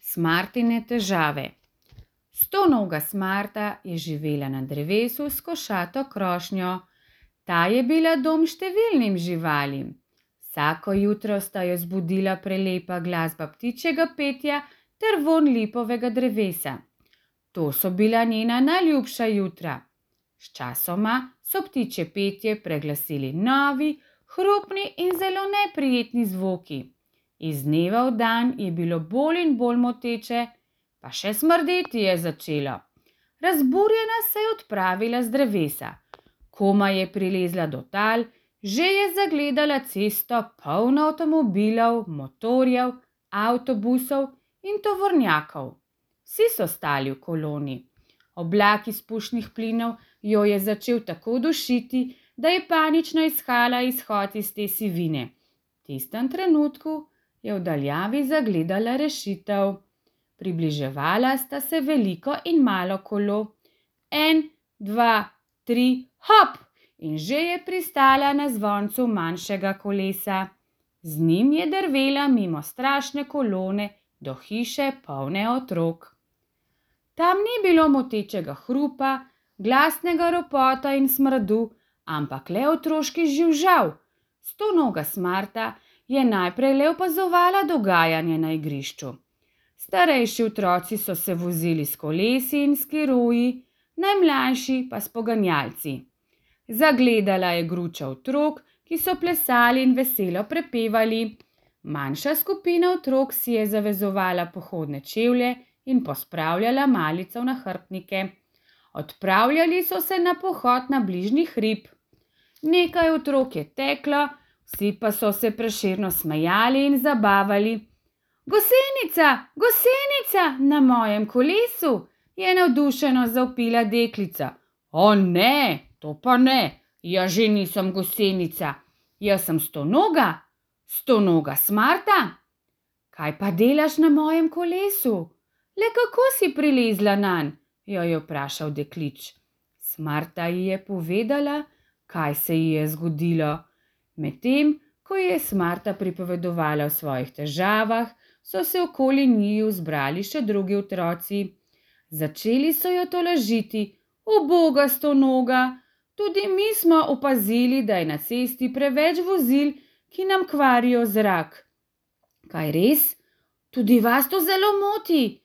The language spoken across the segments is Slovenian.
Smartine težave. Stonoga Smarta je živela na drevesu s košato krošnjo. Ta je bila dom številnim živalim. Vsako jutro sta jo zbudila prelepa glasba ptičjega petja ter vonj lipovega drevesa. To so bila njena najljubša jutra. Sčasoma so ptičje petje preglasili novi, hrupni in zelo neprijetni zvoki. Iz dneva v dan je bilo bolj in bolj moteče, pa še smrdeti je začelo. Razburjena se je odpravila z drevesa. Komaj je prilezla do tal, že je zagledala cesto polno avtomobilov, motorjev, avtobusov in tovornjakov. Vsi so stali v koloni. Oblak izpušnih plinov jo je začel tako dušiti, da je panično iskala izhod iz te sivine. V tistem trenutku je v daljavi zagledala rešitev. Približevala sta se veliko in malo kolo. 1, 2, 3, hop! In že je pristala na zvoncu manjšega kolesa. Z njim je drvela mimo strašne kolone do hiše polne otrok. Tam ni bilo motečega hrupa, glasnega ropota in smradu, ampak le otroški živžav. Stonoga Smarta je najprej le opazovala dogajanje na igrišču. Starejši otroci so se vozili s kolesi in skiroji, najmlajši pa s poganjalci. Zagledala je gruča otrok, ki so plesali in veselo prepevali. Manjša skupina otrok si je zavezovala pohodne čevlje in pospravljala malico v nahrbtnike. Odpravljali so se na pohod na bližnji hrib. Nekaj otrok je teklo, vsi pa so se prešerno smejali in zabavali. Gosenica, gosenica na mojem kolesu, je navdušeno zavpila deklica. O ne, to pa ne, jaz že nisem gosenica, jaz sem Stonoga, Stonoga Smarta. Kaj pa delaš na mojem kolesu? Le kako si prilezla nanj? Jo je vprašal deklič. Smarta ji je povedala, kaj se ji je zgodilo. Medtem, ko je Smarta pripovedovala o svojih težavah, so se okoli njiju zbrali še drugi otroci. Začeli so jo tolažiti. Uboga Stonoga, tudi mi smo opazili, da je na cesti preveč vozil, ki nam kvarijo zrak. Kaj res? Tudi vas to zelo moti.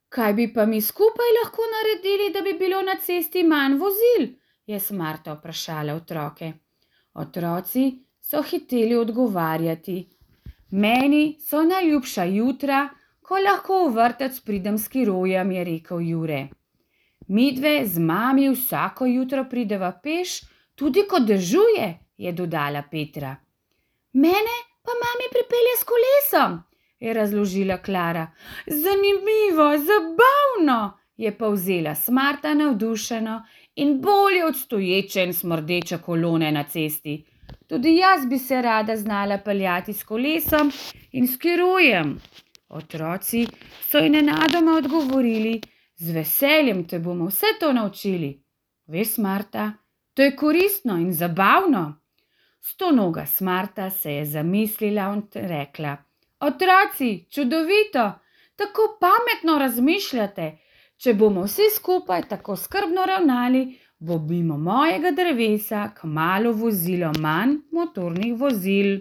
Kaj bi pa mi skupaj lahko naredili, da bi bilo na cesti manj vozil? Je Smarta vprašala otroke. Otroci so hiteli odgovarjati. Meni so najljubša jutra, ko lahko v vrtec pridem s skirojem, je rekel Jure. Midve z mami vsako jutro prideva peš, tudi ko dežuje, je dodala Petra. Mene pa mami pripelje s kolesom, je razložila Klara. Zanimivo, zabavno, je povzela Smarta navdušeno in bolje od stoječe in smrdeče kolone na cesti. Tudi jaz bi se rada znala peljati s kolesom in skirojem. Otroci so ji nenadoma odgovorili, z veseljem te bomo vse to naučili. Veš, Smarta, to je koristno in zabavno. Stonoga Smarta se je zamislila in rekla, otroci, čudovito, tako pametno razmišljate. Če bomo vsi skupaj tako skrbno ravnali, bo mimo mojega drevesa kmalu vozilo manj motornih vozil.